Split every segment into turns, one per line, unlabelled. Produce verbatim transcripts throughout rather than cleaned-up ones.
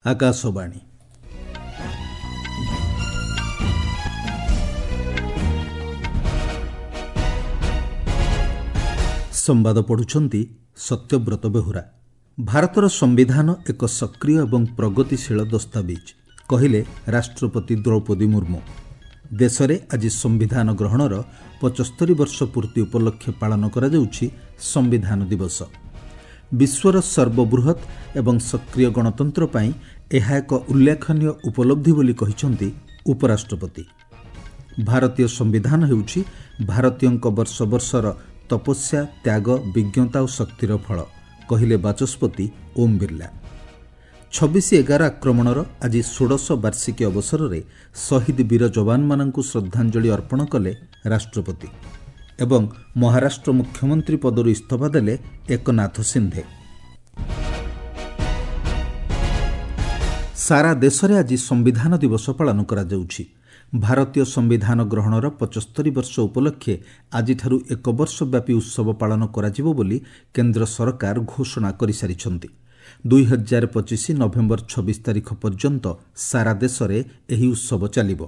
ଆକାଶବାଣୀ। ସମ୍ବାଦ ପଢ଼ୁଛନ୍ତି ସତ୍ୟବ୍ରତ ବେହୁରା। ଭାରତର ସମ୍ବିଧାନ ଏକ ସକ୍ରିୟ ଏବଂ ପ୍ରଗତିଶୀଳ ଦସ୍ତାବିଜ, କହିଲେ ରାଷ୍ଟ୍ରପତି ଦ୍ରୌପଦୀ ମୁର୍ମୁ। ଦେଶରେ ଆଜି ସମ୍ବିଧାନ ଗ୍ରହଣର ପଚସ୍ତରୀ ବର୍ଷ ପୂର୍ତ୍ତି ଉପଲକ୍ଷେ ପାଳନ କରାଯାଉଛି ସମ୍ବିଧାନ ଦିବସ। ବିଶ୍ୱର ସର୍ବବୃହତ୍ ଏବଂ ସକ୍ରିୟ ଗଣତନ୍ତ୍ର ପାଇଁ ଏହା ଏକ ଉଲ୍ଲେଖନୀୟ ଉପଲବ୍ଧି ବୋଲି କହିଛନ୍ତି ଉପରାଷ୍ଟ୍ରପତି। ଭାରତୀୟ ସମ୍ବିଧାନ ହେଉଛି ଭାରତୀୟଙ୍କ ବର୍ଷ ବର୍ଷର ତପସ୍ୟା, ତ୍ୟାଗ, ବିଜ୍ଞତା ଓ ଶକ୍ତିର ଫଳ, କହିଲେ ବାଚସ୍ପତି ଓମ୍ ବିର୍ଲା। ଛବିଶ ଏଗାର ଆକ୍ରମଣର ଆଜି ଷୋଡ଼ଶ ବାର୍ଷିକୀ ଅବସରରେ ଶହୀଦ ବୀର ଯବାନମାନଙ୍କୁ ଶ୍ରଦ୍ଧାଞ୍ଜଳି ଅର୍ପଣ କଲେ ରାଷ୍ଟ୍ରପତି ଏବଂ ମହାରାଷ୍ଟ୍ର ମୁଖ୍ୟମନ୍ତ୍ରୀ ପଦରୁ ଇସ୍ତଫା ଦେଲେ ଏକନାଥ ସିନ୍ଧେ। ସାରା ଦେଶରେ ଆଜି ସମ୍ବିଧାନ ଦିବସ ପାଳନ କରାଯାଉଛି। ଭାରତୀୟ ସମ୍ବିଧାନ ଗ୍ରହଣର ପଚସ୍ତରୀ ବର୍ଷ ଉପଲକ୍ଷେ ଆଜିଠାରୁ ଏକ ବର୍ଷ ବ୍ୟାପୀ ଉତ୍ସବ ପାଳନ କରାଯିବ ବୋଲି କେନ୍ଦ୍ର ସରକାର ଘୋଷଣା କରିସାରିଛନ୍ତି। ଦୁଇ ହଜାର ପଚିଶ ନଭେମ୍ବର ଛବିଶ ତାରିଖ ପର୍ଯ୍ୟନ୍ତ ସାରା ଦେଶରେ ଏହି ଉତ୍ସବ ଚାଲିବ।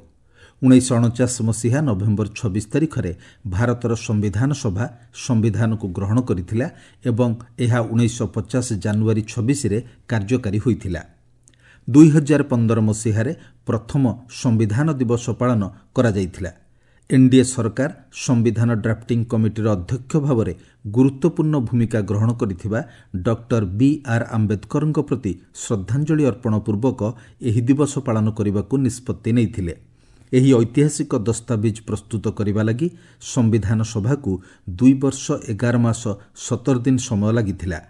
ଉଣେଇଶହ ଅଣଚାଶ ମସିହା ନଭେମ୍ବର ଛବିଶ ତାରିଖରେ ଭାରତର ସମ୍ବିଧାନ ସଭା ସମ୍ବିଧାନକୁ ଗ୍ରହଣ କରିଥିଲା ଏବଂ ଏହା ଉଣେଇଶହ ପଚାଶ ଜାନୁଆରୀ ଛବିଶରେ କାର୍ଯ୍ୟକାରୀ ହୋଇଥିଲା। ଦୁଇ ହଜାର ପନ୍ଦର ମସିହାରେ ପ୍ରଥମ ସମ୍ବିଧାନ ଦିବସ ପାଳନ କରାଯାଇଥିଲା। ଏନ୍ଡିଏ ସରକାର ସମ୍ବିଧାନ ଡ୍ରାଫ୍ଟିଂ କମିଟିର ଅଧ୍ୟକ୍ଷ ଭାବରେ ଗୁରୁତ୍ୱପୂର୍ଣ୍ଣ ଭୂମିକା ଗ୍ରହଣ କରିଥିବା ଡକ୍ଟର ବି ଆର୍ ଆମ୍ବେଦକରଙ୍କ ପ୍ରତି ଶ୍ରଦ୍ଧାଞ୍ଜଳି ଅର୍ପଣ ପୂର୍ବକ ଏହି ଦିବସ ପାଳନ କରିବାକୁ ନିଷ୍ପତ୍ତି ନେଇଥିଲେ। ଏହି ଐତିହାସିକ ଦସ୍ତାବିଜ ପ୍ରସ୍ତୁତ କରିବା ଲାଗି ସମ୍ବିଧାନ ସଭାକୁ ଦୁଇ ବର୍ଷ ଏଗାର ମାସ ସତର ଦିନ ସମୟ ଲାଗିଥିଲା।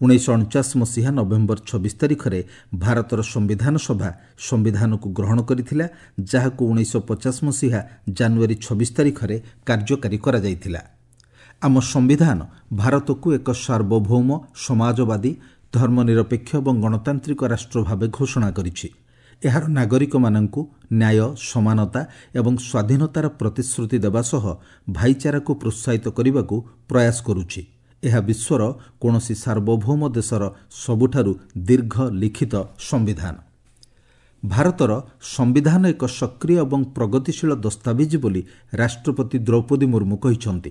ଉଣେଇଶହ ଅଣଚାଶ ମସିହା ନଭେମ୍ବର ଛବିଶ ତାରିଖରେ ଭାରତର ସମ୍ବିଧାନ ସଭା ସମ୍ବିଧାନକୁ ଗ୍ରହଣ କରିଥିଲା, ଯାହାକୁ ଉଣେଇଶହ ପଚାଶ ମସିହା ଜାନୁଆରୀ ଛବିଶ ତାରିଖରେ କାର୍ଯ୍ୟକାରୀ କରାଯାଇଥିଲା। ଆମ ସମ୍ବିଧାନ ଭାରତକୁ ଏକ ସାର୍ବଭୌମ, ସମାଜବାଦୀ, ଧର୍ମନିରପେକ୍ଷ ଏବଂ ଗଣତାନ୍ତ୍ରିକ ରାଷ୍ଟ୍ର ଭାବେ ଘୋଷଣା କରିଛି। ଏହାର ନାଗରିକମାନଙ୍କୁ ନ୍ୟାୟ, ସମାନତା ଏବଂ ସ୍ୱାଧୀନତାର ପ୍ରତିଶ୍ରୁତି ଦେବା ସହ ଭାଇଚାରାକୁ ପ୍ରୋତ୍ସାହିତ କରିବାକୁ ପ୍ରୟାସ କରୁଛି। ଏହା ବିଶ୍ୱର କୌଣସି ସାର୍ବଭୌମ ଦେଶର ସବୁଠାରୁ ଦୀର୍ଘ ଲିଖିତ ସମ୍ବିଧାନ। ଭାରତର ସମ୍ବିଧାନ ଏକ ସକ୍ରିୟ ଏବଂ ପ୍ରଗତିଶୀଳ ଦସ୍ତାବିଜ ବୋଲି ରାଷ୍ଟ୍ରପତି ଦ୍ରୌପଦୀ ମୁର୍ମୁ କହିଛନ୍ତି।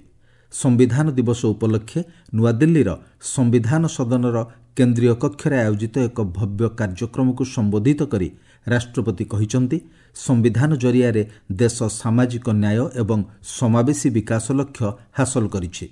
ସମ୍ବିଧାନ ଦିବସ ଉପଲକ୍ଷେ ନୂଆଦିଲ୍ଲୀର ସମ୍ବିଧାନ ସଦନର କେନ୍ଦ୍ରୀୟ କକ୍ଷରେ ଆୟୋଜିତ ଏକ ଭବ୍ୟ କାର୍ଯ୍ୟକ୍ରମକୁ ସମ୍ବୋଧିତ କରି ରାଷ୍ଟ୍ରପତି କହିଛନ୍ତି, ସମ୍ବିଧାନ ଜରିଆରେ ଦେଶ ସାମାଜିକ ନ୍ୟାୟ ଏବଂ ସମାବେଶୀ ବିକାଶ ଲକ୍ଷ୍ୟ ହାସଲ କରିଛି।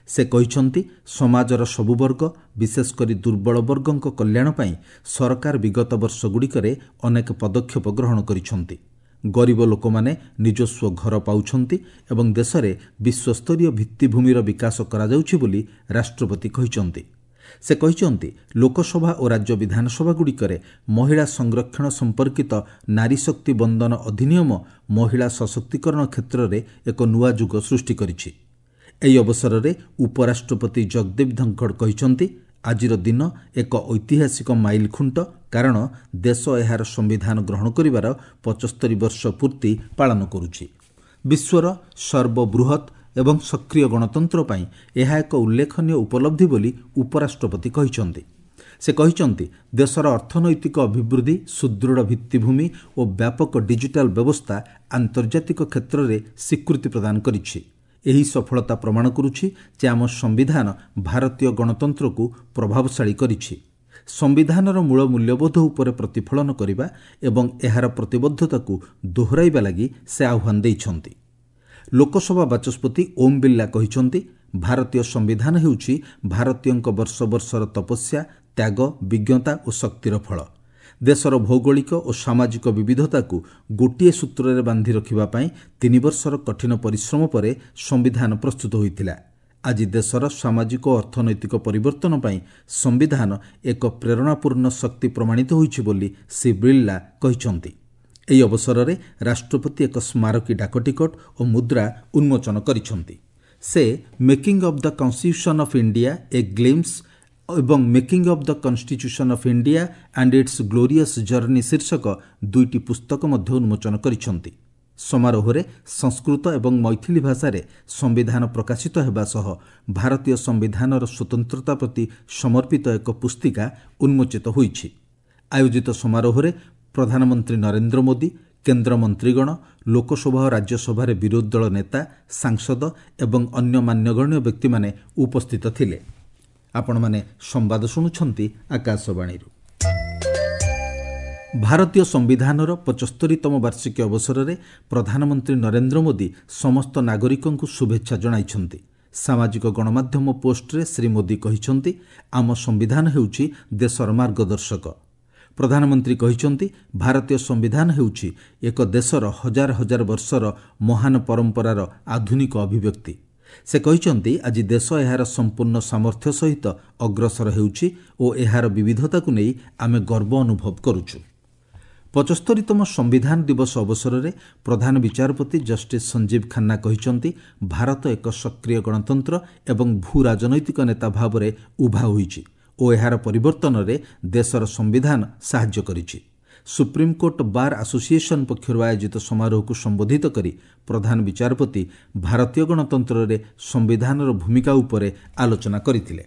ସେ କହିଛନ୍ତି, ସମାଜର ସବୁ ବର୍ଗ, ବିଶେଷ କରି ଦୁର୍ବଳ ବର୍ଗଙ୍କ କଲ୍ୟାଣ ପାଇଁ ସରକାର ବିଗତ ବର୍ଷଗୁଡ଼ିକରେ ଅନେକ ପଦକ୍ଷେପ ଗ୍ରହଣ କରିଛନ୍ତି। ଗରିବ ଲୋକମାନେ ନିଜସ୍ୱ ଘର ପାଉଛନ୍ତି ଏବଂ ଦେଶରେ ବିଶ୍ୱସ୍ତରୀୟ ଭିତ୍ତିଭୂମିର ବିକାଶ କରାଯାଉଛି ବୋଲି ରାଷ୍ଟ୍ରପତି କହିଛନ୍ତି। ସେ କହିଛନ୍ତି, ଲୋକସଭା ଓ ରାଜ୍ୟ ବିଧାନସଭାଗୁଡ଼ିକରେ ମହିଳା ସଂରକ୍ଷଣ ସମ୍ପର୍କିତ ନାରୀ ଶକ୍ତି ବନ୍ଦନ ଅଧିନିୟମ ମହିଳା ସଶକ୍ତିକରଣ କ୍ଷେତ୍ରରେ ଏକ ନୂଆ ଯୁଗ ସୃଷ୍ଟି କରିଛି। ଏହି ଅବସରରେ ଉପରାଷ୍ଟ୍ରପତି ଜଗଦୀପ ଧନଖଡ଼ କହିଛନ୍ତି, ଆଜିର ଦିନ ଏକ ଐତିହାସିକ ମାଇଲଖୁଣ୍ଟ, କାରଣ ଦେଶ ଏହାର ସମ୍ବିଧାନ ଗ୍ରହଣ କରିବାର ପଚସ୍ତରୀ ବର୍ଷ ପୂର୍ତ୍ତି ପାଳନ କରୁଛି। ବିଶ୍ୱର ସର୍ବବୃହତ୍ ଏବଂ ସକ୍ରିୟ ଗଣତନ୍ତ୍ର ପାଇଁ ଏହା ଏକ ଉଲ୍ଲେଖନୀୟ ଉପଲବ୍ଧି ବୋଲି ଉପରାଷ୍ଟ୍ରପତି କହିଛନ୍ତି। ସେ କହିଛନ୍ତି, ଦେଶର ଅର୍ଥନୈତିକ ଅଭିବୃଦ୍ଧି, ସୁଦୃଢ଼ ଭିତ୍ତିଭୂମି ଓ ବ୍ୟାପକ ଡିଜିଟାଲ ବ୍ୟବସ୍ଥା ଆନ୍ତର୍ଜାତିକ କ୍ଷେତ୍ରରେ ସ୍ୱୀକୃତି ପ୍ରଦାନ କରିଛି। ଏହି ସଫଳତା ପ୍ରମାଣ କରୁଛି ଯେ ଆମ ସମ୍ବିଧାନ ଭାରତୀୟ ଗଣତନ୍ତ୍ରକୁ ପ୍ରଭାବଶାଳୀ କରିଛି। ସମ୍ବିଧାନର ମୂଳ ମୂଲ୍ୟବୋଧ ଉପରେ ପ୍ରତିଫଳନ କରିବା ଏବଂ ଏହାର ପ୍ରତିବଦ୍ଧତାକୁ ଦୋହରାଇବା ଲାଗି ସେ ଆହ୍ୱାନ ଦେଇଛନ୍ତି। ଲୋକସଭା ବାଚସ୍ପତି ଓମ୍ ବିର୍ଲା କହିଛନ୍ତି, ଭାରତୀୟ ସମ୍ବିଧାନ ହେଉଛି ଭାରତୀୟଙ୍କ ବର୍ଷ ବର୍ଷର ତପସ୍ୟା, ତ୍ୟାଗ, ବିଜ୍ଞତା ଓ ଶକ୍ତିର ଫଳ। ଦେଶର ଭୌଗୋଳିକ ଓ ସାମାଜିକ ବିବିଧତାକୁ ଗୋଟିଏ ସୂତ୍ରରେ ବାନ୍ଧି ରଖିବା ପାଇଁ ତିନି ବର୍ଷର କଠିନ ପରିଶ୍ରମ ପରେ ସମ୍ବିଧାନ ପ୍ରସ୍ତୁତ ହୋଇଥିଲା। ଆଜି ଦେଶର ସାମାଜିକ ଓ ଅର୍ଥନୈତିକ ପରିବର୍ତ୍ତନ ପାଇଁ ସମ୍ବିଧାନ ଏକ ପ୍ରେରଣାପୂର୍ଣ୍ଣ ଶକ୍ତି ପ୍ରମାଣିତ ହୋଇଛି ବୋଲି ଶ୍ରୀ ବିର୍ଲା କହିଛନ୍ତି। ଏହି ଅବସରରେ ରାଷ୍ଟ୍ରପତି ଏକ ସ୍ମାରକୀ ଡାକଟିକଟ ଓ ମୁଦ୍ରା ଉନ୍ମୋଚନ କରିଛନ୍ତି। ସେ making of the constitution of India a glimpse ଏବଂ making of the constitution of India and its glorious journey ଶୀର୍ଷକ ଦୁଇଟି ପୁସ୍ତକ ମଧ୍ୟ ଉନ୍ମୋଚନ କରିଛନ୍ତି। ସମାରୋହରେ ସଂସ୍କୃତ ଏବଂ ମୈଥିଲି ଭାଷାରେ ସମ୍ବିଧାନ ପ୍ରକାଶିତ ହେବା ସହ ଭାରତୀୟ ସମ୍ବିଧାନର ସ୍ୱତନ୍ତ୍ରତା ପ୍ରତି ସମର୍ପିତ ଏକ ପୁସ୍ତିକା ଉନ୍ମୋଚିତ ହୋଇଛି। ଆୟୋଜିତ ସମାରୋହରେ ପ୍ରଧାନମନ୍ତ୍ରୀ ନରେନ୍ଦ୍ର ମୋଦି, କେନ୍ଦ୍ର ମନ୍ତ୍ରୀଗଣ, ଲୋକସଭା ଓ ରାଜ୍ୟସଭାରେ ବିରୋଧୀ ଦଳ ନେତା, ସାଂସଦ ଏବଂ ଅନ୍ୟ ମାନ୍ୟଗଣ୍ୟ ବ୍ୟକ୍ତିମାନେ ଉପସ୍ଥିତ ଥିଲେ। ଆପଣମାନେ ସମ୍ବାଦ ଶୁଣୁଛନ୍ତି ଆକାଶବାଣୀରୁ। ଭାରତୀୟ ସମ୍ବିଧାନର ପଚସ୍ତରୀତମ ବାର୍ଷିକୀ ଅବସରରେ ପ୍ରଧାନମନ୍ତ୍ରୀ ନରେନ୍ଦ୍ର ମୋଦି ସମସ୍ତ ନାଗରିକଙ୍କୁ ଶୁଭେଚ୍ଛା ଜଣାଇଛନ୍ତି। ସାମାଜିକ ଗଣମାଧ୍ୟମ ପୋଷ୍ଟରେ ଶ୍ରୀ ମୋଦି କହିଛନ୍ତି, ଆମ ସମ୍ବିଧାନ ହେଉଛି ଦେଶର ମାର୍ଗଦର୍ଶକ। ପ୍ରଧାନମନ୍ତ୍ରୀ କହିଛନ୍ତି, ଭାରତୀୟ ସମ୍ବିଧାନ ହେଉଛି ଏକ ଦେଶର ହଜାର ହଜାର ବର୍ଷର ମହାନ ପରମ୍ପରାର ଆଧୁନିକ ଅଭିବ୍ୟକ୍ତି। ସେ କହିଛନ୍ତି, ଆଜି ଦେଶ ଏହାର ସମ୍ପୂର୍ଣ୍ଣ ସାମର୍ଥ୍ୟ ସହିତ ଅଗ୍ରସର ହେଉଛି ଓ ଏହାର ବିବିଧତାକୁ ନେଇ ଆମେ ଗର୍ବ ଅନୁଭବ କରୁଛୁ। ପଚସ୍ତରୀତମ ସମ୍ବିଧାନ ଦିବସ ଅବସରରେ ପ୍ରଧାନ ବିଚାରପତି ଜଷ୍ଟିସ୍ ସଞ୍ଜୀବ ଖାନ୍ନା କହିଛନ୍ତି, ଭାରତ ଏକ ସକ୍ରିୟ ଗଣତନ୍ତ୍ର ଏବଂ ଭୂ ରାଜନୈତିକ ନେତା ଭାବରେ ଉଭା ହୋଇଛି ଓ ଏହାର ପରିବର୍ତ୍ତନରେ ଦେଶର ସମ୍ବିଧାନ ସାହାଯ୍ୟ କରିଛି। ସୁପ୍ରିମକୋର୍ଟ ବାର୍ ଆସୋସିଏସନ୍ ପକ୍ଷରୁ ଆୟୋଜିତ ସମାରୋହକୁ ସମ୍ବୋଧିତ କରି ପ୍ରଧାନ ବିଚାରପତି ଭାରତୀୟ ଗଣତନ୍ତ୍ରରେ ସମ୍ବିଧାନର ଭୂମିକା ଉପରେ ଆଲୋଚନା କରିଥିଲେ।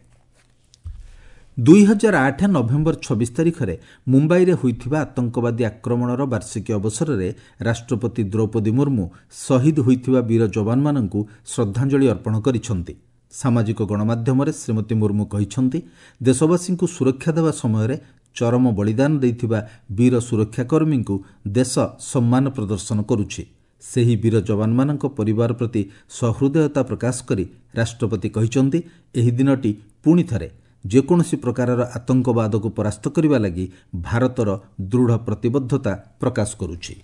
ଦୁଇ ହଜାର ଆଠ ନଭେମ୍ବର ଛବିଶ ତାରିଖରେ ମୁମ୍ବାଇରେ ହୋଇଥିବା ଆତଙ୍କବାଦୀ ଆକ୍ରମଣର ବାର୍ଷିକୀ ଅବସରରେ ରାଷ୍ଟ୍ରପତି ଦ୍ରୌପଦୀ ମୁର୍ମୁ ଶହୀଦ ହୋଇଥିବା ବୀର ଯବାନମାନଙ୍କୁ ଶ୍ରଦ୍ଧାଞ୍ଜଳି ଅର୍ପଣ କରିଛନ୍ତି। ସାମାଜିକ ଗଣମାଧ୍ୟମରେ ଶ୍ରୀମତୀ ମୁର୍ମୁ କହିଛନ୍ତି, ଦେଶବାସୀଙ୍କୁ ସୁରକ୍ଷା ଦେବା ସମୟରେ ଚରମ ବଳିଦାନ ଦେଇଥିବା ବୀର ସୁରକ୍ଷାକର୍ମୀଙ୍କୁ ଦେଶ ସମ୍ମାନ ପ୍ରଦର୍ଶନ କରୁଛି। ସେହି ବୀର ଯବାନମାନଙ୍କ ପରିବାର ପ୍ରତି ସହୃଦୟତା ପ୍ରକାଶ କରି ରାଷ୍ଟ୍ରପତି କହିଛନ୍ତି, ଏହି ଦିନଟି ପୁଣି ଥରେ ଯେକୌଣସି ପ୍ରକାରର ଆତଙ୍କବାଦକୁ ପରାସ୍ତ କରିବା ଲାଗି ଭାରତର ଦୃଢ଼ ପ୍ରତିବଦ୍ଧତା ପ୍ରକାଶ କରୁଛି।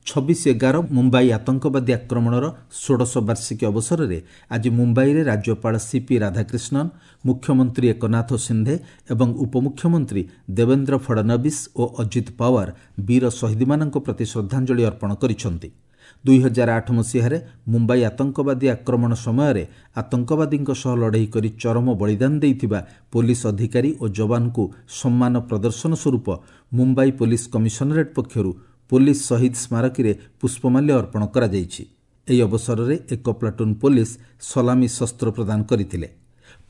ଛବିଶ ଏଗାର ମୁମ୍ବାଇ ଆତଙ୍କବାଦୀ ଆକ୍ରମଣର ଷୋଡ଼ଶ ବାର୍ଷିକୀ ଅବସରରେ ଆଜି ମୁମ୍ବାଇରେ ରାଜ୍ୟପାଳ ସିପି ରାଧାକ୍ରିଷ୍ଣନ୍, ମୁଖ୍ୟମନ୍ତ୍ରୀ ଏକନାଥ ସିନ୍ଧେ ଏବଂ ଉପମୁଖ୍ୟମନ୍ତ୍ରୀ ଦେବେନ୍ଦ୍ର ଫଡନବିସ୍ ଓ ଅଜିତ ପାୱାର ବୀର ଶହୀଦମାନଙ୍କ ପ୍ରତି ଶ୍ରଦ୍ଧାଞ୍ଜଳି ଅର୍ପଣ କରିଛନ୍ତି। ଦୁଇ ହଜାର ଆଠ ମସିହାରେ ମୁମ୍ବାଇ ଆତଙ୍କବାଦୀ ଆକ୍ରମଣ ସମୟରେ ଆତଙ୍କବାଦୀଙ୍କ ସହ ଲଢ଼େଇ କରି ଚରମ ବଳିଦାନ ଦେଇଥିବା ପୋଲିସ ଅଧିକାରୀ ଓ ଯବାନଙ୍କୁ ସମ୍ମାନ ପ୍ରଦର୍ଶନ ସ୍ୱରୂପ ମୁମ୍ବାଇ ପୋଲିସ କମିଶନରେଟ୍ ପକ୍ଷରୁ ପୋଲିସ ଶହୀଦ ସ୍ମାରକୀରେ ପୁଷ୍ପମାଲ୍ୟ ଅର୍ପଣ କରାଯାଇଛି। ଏହି ଅବସରରେ ଏକ ପ୍ଲାଟୁନ୍ ପୋଲିସ ସଲାମୀ ଶସ୍ତ୍ର ପ୍ରଦାନ କରିଥିଲେ।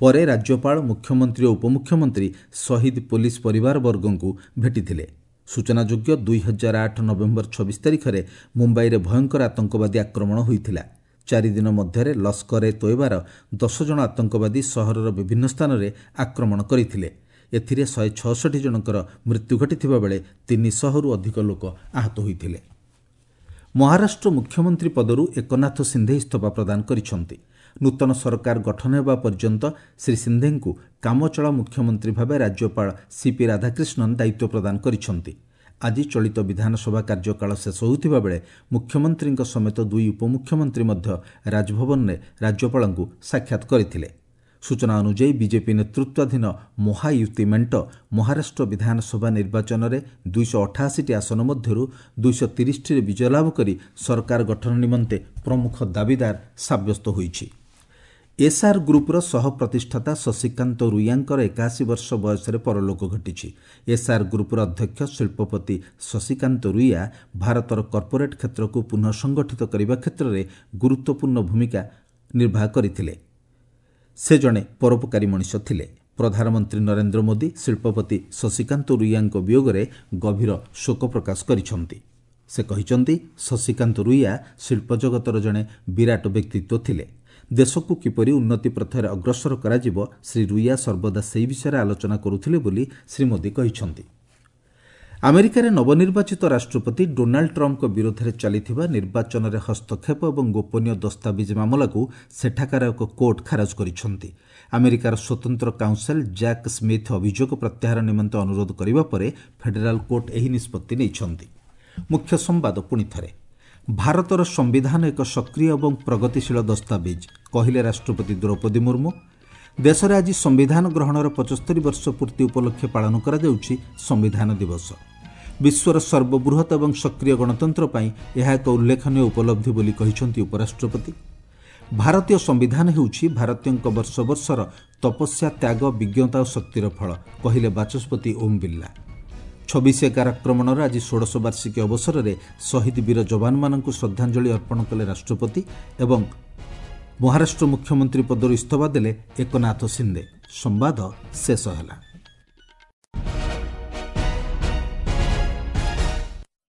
ପରେ ରାଜ୍ୟପାଳ, ମୁଖ୍ୟମନ୍ତ୍ରୀ ଓ ଉପମୁଖ୍ୟମନ୍ତ୍ରୀ ଶହୀଦ ପୋଲିସ ପରିବାରବର୍ଗଙ୍କୁ ଭେଟିଥିଲେ। ସୂଚନାଯୋଗ୍ୟ, ଦୁଇ ହଜାର ଆଠ ନଭେମ୍ବର ଛବିଶ ତାରିଖରେ ମୁମ୍ବାଇରେ ଭୟଙ୍କର ଆତଙ୍କବାଦୀ ଆକ୍ରମଣ ହୋଇଥିଲା। ଚାରିଦିନ ମଧ୍ୟରେ ଲସ୍କର ଏ ତୋଏବାର ଦଶ ଜଣ ଆତଙ୍କବାଦୀ ସହରର ବିଭିନ୍ନ ସ୍ଥାନରେ ଆକ୍ରମଣ କରିଥିଲେ। ଏଥିରେ ଶହେ ଛଅଷଠି ଜଣଙ୍କର ମୃତ୍ୟୁ ଘଟିଥିବା ବେଳେ ତିନିଶହରୁ ଅଧିକ ଲୋକ ଆହତ ହୋଇଥିଲେ। ମହାରାଷ୍ଟ୍ର ମୁଖ୍ୟମନ୍ତ୍ରୀ ପଦରୁ ଏକନାଥ ସିନ୍ଧେ ଇସ୍ତଫା ପ୍ରଦାନ କରିଛନ୍ତି। ନୂତନ ସରକାର ଗଠନ ହେବା ପର୍ଯ୍ୟନ୍ତ ଶ୍ରୀ ସିନ୍ଧେଙ୍କୁ କାମଚଳା ମୁଖ୍ୟମନ୍ତ୍ରୀ ଭାବେ ରାଜ୍ୟପାଳ ସିପି ରାଧାକ୍ରିଷ୍ଣନ୍ ଦାୟିତ୍ୱ ପ୍ରଦାନ କରିଛନ୍ତି। ଆଜି ଚଳିତ ବିଧାନସଭା କାର୍ଯ୍ୟକାଳ ଶେଷ ହେଉଥିବା ବେଳେ ମୁଖ୍ୟମନ୍ତ୍ରୀଙ୍କ ସମେତ ଦୁଇ ଉପମୁଖ୍ୟମନ୍ତ୍ରୀ ମଧ୍ୟ ରାଜଭବନରେ ରାଜ୍ୟପାଳଙ୍କୁ ସାକ୍ଷାତ କରିଥିଲେ। ସୂଚନା ଅନୁଯାୟୀ, ବିଜେପି ନେତୃତ୍ୱାଧୀନ ମହାୟୁତି ମେଣ୍ଟ ମହାରାଷ୍ଟ୍ର ବିଧାନସଭା ନିର୍ବାଚନରେ ଦୁଇଶହ ଅଠାଅଶୀଟି ଆସନ ମଧ୍ୟରୁ ଦୁଇଶହ ତିରିଶଟିରେ ବିଜୟ ଲାଭ କରି ସରକାର ଗଠନ ନିମନ୍ତେ ପ୍ରମୁଖ ଦାବିଦାର ସାବ୍ୟସ୍ତ ହୋଇଛି। ଏସ୍ଆର୍ ଗ୍ରୁପ୍ର ସହ ପ୍ରତିଷ୍ଠାତା ଶଶିକାନ୍ତ ରୁଇଆଙ୍କର ଏକାଅଶୀ ବର୍ଷ ବୟସରେ ପରଲୋକ ଘଟିଛି। ଏସ୍ଆର୍ ଗ୍ରୁପ୍ର ଅଧ୍ୟକ୍ଷ ଶିଳ୍ପପତି ଶଶିକାନ୍ତ ରୁଇଆ ଭାରତର କର୍ପୋରେଟ୍ କ୍ଷେତ୍ରକୁ ପୁନଃ ସଂଗଠିତ କରିବା କ୍ଷେତ୍ରରେ ଗୁରୁତ୍ୱପୂର୍ଣ୍ଣ ଭୂମିକା ନିର୍ବାହ କରିଥିଲେ। ସେ ଜଣେ ପରୋପକାରୀ ମଣିଷ ଥିଲେ। ପ୍ରଧାନମନ୍ତ୍ରୀ ନରେନ୍ଦ୍ର ମୋଦି ଶିଳ୍ପପତି ଶଶିକାନ୍ତ ରୁଇଆଙ୍କ ବିୟୋଗରେ ଗଭୀର ଶୋକ ପ୍ରକାଶ କରିଛନ୍ତି। ସେ କହିଛନ୍ତି, ଶଶିକାନ୍ତ ରୁଇଆ ଶିଳ୍ପ ଜଗତର ଜଣେ ବିରାଟ ବ୍ୟକ୍ତିତ୍ୱ ଥିଲେ। ଦେଶକୁ କିପରି ଉନ୍ନତି ପଥରେ ଅଗ୍ରସର କରାଯିବ, ଶ୍ରୀ ରୁଇଆ ସର୍ବଦା ସେହି ବିଷୟରେ ଆଲୋଚନା କରୁଥିଲେ ବୋଲି ଶ୍ରୀ ମୋଦି କହିଛନ୍ତି। ଆମେରିକାରେ ନବନିର୍ବାଚିତ ରାଷ୍ଟ୍ରପତି ଡୋନାଲ୍ଡ ଟ୍ରମ୍ପଙ୍କ ବିରୋଧରେ ଚାଲିଥିବା ନିର୍ବାଚନରେ ହସ୍ତକ୍ଷେପ ଏବଂ ଗୋପନୀୟ ଦସ୍ତାବିଜ ମାମଲାକୁ ସେଠାକାର ଏକ କୋର୍ଟ ଖାରଜ କରିଛନ୍ତି। ଆମେରିକାର ସ୍ୱତନ୍ତ୍ର କାଉନସେଲ୍ ଜ୍ୟାକ୍ ସ୍ମିଥ୍ ଅଭିଯୋଗ ପ୍ରତ୍ୟାହାର ନିମନ୍ତେ ଅନୁରୋଧ କରିବା ପରେ ଫେଡେରାଲ କୋର୍ଟ ଏହି ନିଷ୍ପତ୍ତି ନେଇଛନ୍ତି। ମୁଖ୍ୟ ସମ୍ବାଦ ପୁଣି ଥରେ, ଭାରତର ସମ୍ବିଧାନ ଏକ ସକ୍ରିୟ ଏବଂ ପ୍ରଗତିଶୀଳ ଦସ୍ତାବିଜ, କହିଲେ ରାଷ୍ଟ୍ରପତି ଦ୍ରୌପଦୀ ମୁର୍ମୁ। ଦେଶରେ ଆଜି ସମ୍ବିଧାନ ଗ୍ରହଣର ପଚସ୍ତରୀ ବର୍ଷ ପୂର୍ତ୍ତି ଉପଲକ୍ଷେ ପାଳନ କରାଯାଉଛି ସମ୍ବିଧାନ ଦିବସ। ବିଶ୍ୱର ସର୍ବବୃହତ୍ ଏବଂ ସକ୍ରିୟ ଗଣତନ୍ତ୍ର ପାଇଁ ଏହା ଏକ ଉଲ୍ଲେଖନୀୟ ଉପଲବ୍ଧି ବୋଲି କହିଛନ୍ତି ଉପରାଷ୍ଟ୍ରପତି। ଭାରତୀୟ ସମ୍ବିଧାନ ହେଉଛି ଭାରତୀୟଙ୍କ ବର୍ଷ ବର୍ଷର ତପସ୍ୟା, ତ୍ୟାଗ, ବିଜ୍ଞତା ଓ ଶକ୍ତିର ଫଳ, କହିଲେ ବାଚସ୍ପତି ଓମ୍ ବିର୍ଲା। ଛବିଶ ଏଗାର ଆକ୍ରମଣର ଆଜି ଷୋଡ଼ଶ ବାର୍ଷିକୀ ଅବସରରେ ଶହୀଦ ବୀର ଯବାନମାନଙ୍କୁ ଶ୍ରଦ୍ଧାଞ୍ଜଳି ଅର୍ପଣ କଲେ ରାଷ୍ଟ୍ରପତି ଏବଂ ମହାରାଷ୍ଟ୍ର ମୁଖ୍ୟମନ୍ତ୍ରୀ ପଦରୁ ଇସ୍ତଫା ଦେଲେ ଏକନାଥ ସିନ୍ଦେ। ସମ୍ବାଦ ଶେଷ ହେଲା।